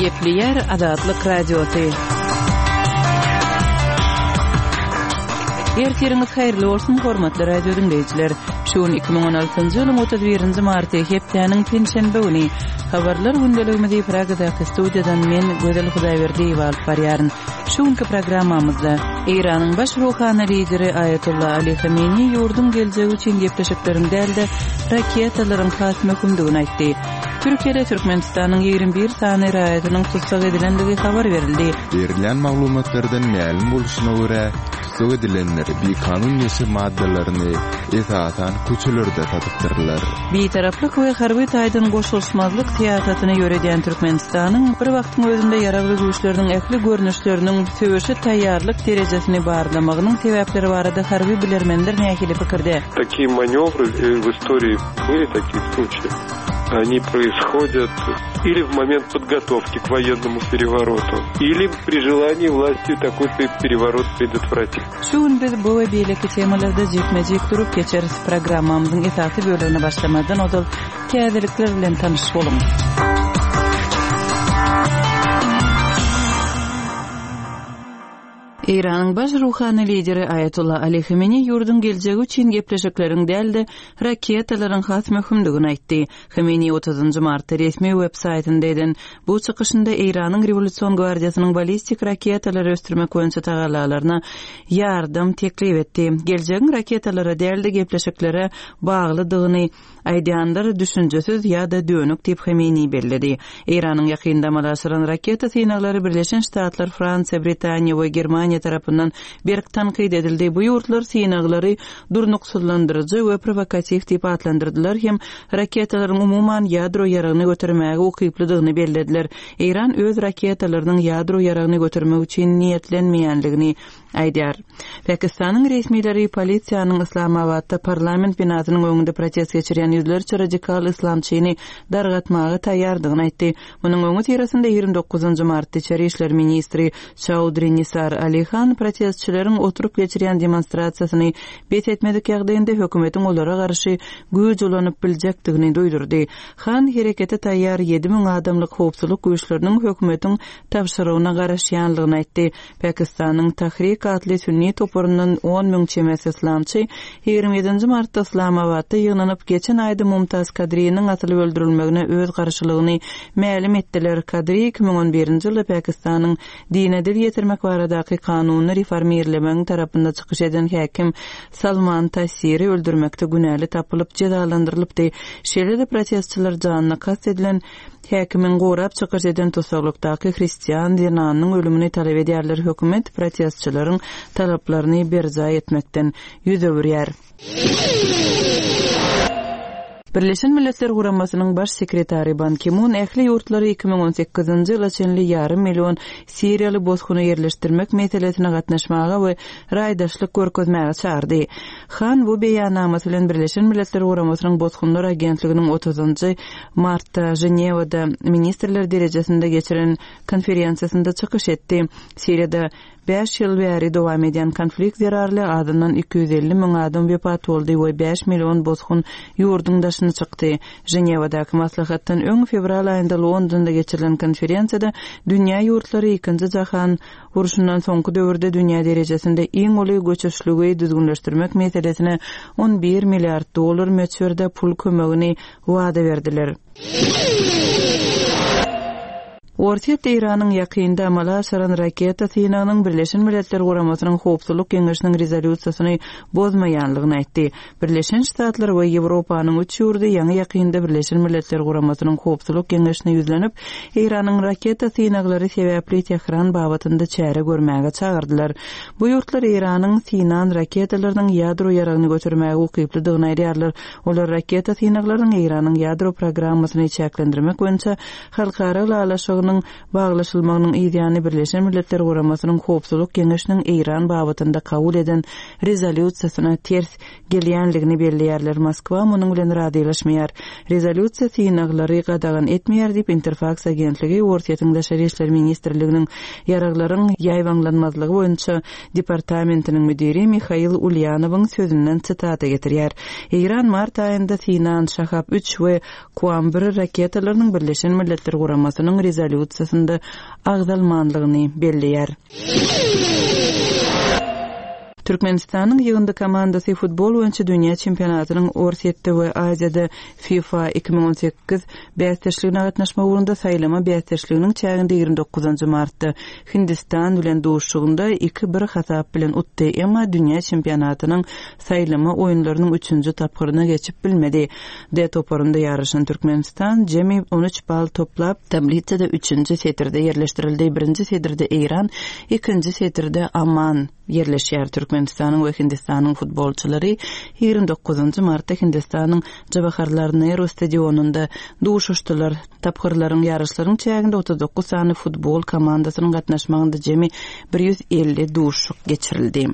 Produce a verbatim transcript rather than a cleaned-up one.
Gepleýär Azatlyk Radiosy. Ertiriňiz haýyrly bolsun, hormatly radio diňleýjiler. Şu gün iki müň on altynjy ýylyň otuz birinji marty, hepdäniň penşenbe güni. Habarlar gündeligimizi Pragadaky studiýadan men, Gözel Hudaýberdiýewa alyp barýaryn. Şu günki programmamyzda Eýranyň baş ruhany lideri Aýatolla Ali Hameneýi ýurduň geljegi üçin gepleşikleriň däl-de, raketalaryň has möhümdigini aýtdy. Türkiýede Türkmenistanyň ýigrimi bir sany raýatynyň tussag edilendigi habar berildi. Berilýän maglumatlardan mälim bolşuna görä, tussag edilenler bikanun neşe maddalaryny esasan köçelerde satypdyrlar. Bitaraplyk we harby taýdan goşulyşmazlyk syýasatyny ýöredýän Türkmenistanyň bir wagtyň özünde ýaragly güýçleriniň ähli görnüşleriniň söweşe taýýarlyk derejesini barlamagynyň sebäpleri barada harby bilermenler nähili pikirde? Такие маневры в истории были такие случаи. Они происходят или в момент подготовки к военному перевороту, или при желании власти такой переворот предотвратить. Şu gün biz bu we beýleki temalarda jikme-jik durup geçeris. Programmamyzyň esasy bölegine başlamazdan ozal täzelikler bilen tanyş boluň. Eýranyň baş ruhany lideri Aýatolla Ali Hameneýi ýurduň geljegi üçin gepleşikleriň däl-de raketalaryň has möhümdigini aýtdy. Hameneýi otuzynjy martda resmi web saýtynda eden bu çykyşynda Eýranyň Rewolýusion gwardiýasynyň ballistik raketalary ösdürmek boýunça tagallalaryna ýardam teklip etdi. Geljegiň raketalara däl-de gepleşiklere baglydygyny aýdýanlar düşünjesiz ýa-da dönük diýip Hameneýi belledi. Eýranyň ýakynda amala aşyran raketa synaglary Birleşen Ştatlar, Fransiýa, Britaniýa we Germaniýa tarapyndan berk tankyt edildi. Bu ýurtlar synaglary durnuksyzlandyryjy we provokatiw diýip atlandyrdylar hem raketalaryň umuman ýadro ýaragyny götermäge ukyplydygyny bellediler. Eýran öz raketalarynyň ýadro ýaragyny götermek üçin niýetlenmeýänligini aýdýar. Pakistanyň resmileri polisiýanyň Islamabadda parlament binasynyň öňünde protest geçirýän ýüzlerçe radikal islamçyny dargatmaga taýýardygyny aýtdy. Munuň öňi syrasynda ýigrimi dokuzynjy martda içeri işler ministri Çaudri Nisar Ali Han protestçileriň oturyp geçirýän demonstrasiýasyny bes etmedik ýagdaýynda hökümetiň olara garşy güýç ulanyp biljekdigini duýdurdy. Han herekete taýýar ýedi müň adamlyk howpsuzlyk güýçleriniň hökümetiň tabşyrygyna garaşýanlygyny aýtdy. Pakistanyň Tahrik atly sünni toparyndan on müň çemesi islamçy ýigrimi ýedinji martda Islamabadda ýygnanyp geçen aýda Mumtaz Kadriniň asylyp öldürilmegine öz garşylygyny mälim etdiler. Kadri iki müň on birinji ýylda Pakistanyň dine dil ýetirmek baradaky kanunyny reformirlemegiň tarapynda çykyş eden häkim Salman Tasiri öldürmekde günäli tapylyp jezalandyrylypdy. Şeýle-de protestçiler janyna kast edilen häkimiň gorap çykyş eden tusaglykdaky hristian zenanynyň ölümini talap edýärler. Hökümet protestçileriň talaplaryny berjaý etmekden ýüz öwürýär. Birleşen Milletler Guramasynyň baş sekretary Ban Ki-mun ähli ýurtlary iki müň on sekizinji ýyla çenli ýarym million siriýaly bosguny ýerleşdirmek meselesine gatnaşmaga we raýdaşlyk görkezmäge çagyrdy. Han bu beýannamasy bilen Birleşen Milletler Guramasynyň Bosgunlar agentliginiň otuzynjy martda Ženewada ministrler derejesinde geçiren konferensiýasynda çykyş etdi. Siriýada bäş ýyl bäri dowam edýän konflikt zerarly azyndan iki ýüz elli müň adam wepat boldy we bäş million bosgun ýurduň daşyna çykdy. Ženewadaky maslahatdan öň fewral aýynda Londonda geçirilen konferensiýada dünýä ýurtlary ikinji jahan urşundan soňky döwürde dünýä derejesinde iň uly göçüşligi düzgünleşdirmek meselesine on bir milliard dollar möçberde pul kömegini wada berdiler. Orsýet Eýranyň ýakynda amala aşyran raketa synagynyň Birleşen Milletler Guramasynyň Howpsuzlyk Geňeşiniň rezolýusiýasyny bozmaýanlygyny aýtdy. Birleşen Ştatlar we Ýewropanyň üç ýurdy ýaňy ýakynda Birleşen Milletler Guramasynyň Howpsuzlyk Geňeşine ýüzlenip, Eýranyň raketa synaglary sebäpli Tehran babatynda çäre görmäge çagyrdylar. Bu ýurtlar Eýranyň synan raketalarynyň ýadro ýaragyny götermäge ukyplydygyny aýdýarlar. Olar raketa synaglarynyň Eýranyň ýadro programmasyny çäklendirmek boýunça halkara ylalaşygynyň baglaşylmagynyň ýany Birleşen Milletler Guramasynyň Howpsuzlyk Geňeşiniň Eýran babatynda kabul eden rezolýusiýasyna ters gelýänligini belleýärler. Moskwa munuň bilen razylaşmaýar. Rezolýusiýa synaglary gadagan etmeýär diýip Interfax agentligi Orsýetiň Daşary işler ministrliginiň ýaraglaryň ýaýbaňlanmazlygy boýunça departamentiniň müdiri Mihail Ulýanowyň sözünden sitata getirýär. Eýran mart aýynda synan Şahab üç we Kuam bir raketalarynyň Birleşen Milletler Guramasynyň rezolýusiýasyna rezolýusiýasynda agzalmanlygyny belleýär. Türkmenistanyň ýygyndy komandasy futbol boýunça dünýä çempionatynyň Orsýetde we Aziýada FIFA iki müň on sekiz bäsdeşligine gatnaşmak ugrunda saýlama bäsdeşliginiň çäginde ýigrimi dokuzynjy martda Hindistan bilen duşuşygynda iki bir hasap bilen utdy, emma dünýä çempionatynyň saýlama oýunlarynyň üçünji tapgyryna geçip bilmedi. D toparynda ýaryşan Türkmenistan jemi on üç bal toplap, tablisada üçünji setirde ýerleşdirildi. Birinji setirde Eýran, ikinji setirde Oman ýerleşýär. Türkmenistanyň we Hindistanyň futbolçylary ýigrimi dokuzynjy martda Hindistanyň Jawaharlal Nehru stadionynda duşuşdylar. Tapgyrlaryň ýaryşlaryň çäginde otuz dokuz sany futbol komandasynyň gatnaşmagynda jemi bir ýüz elli duşuşyk geçirildi.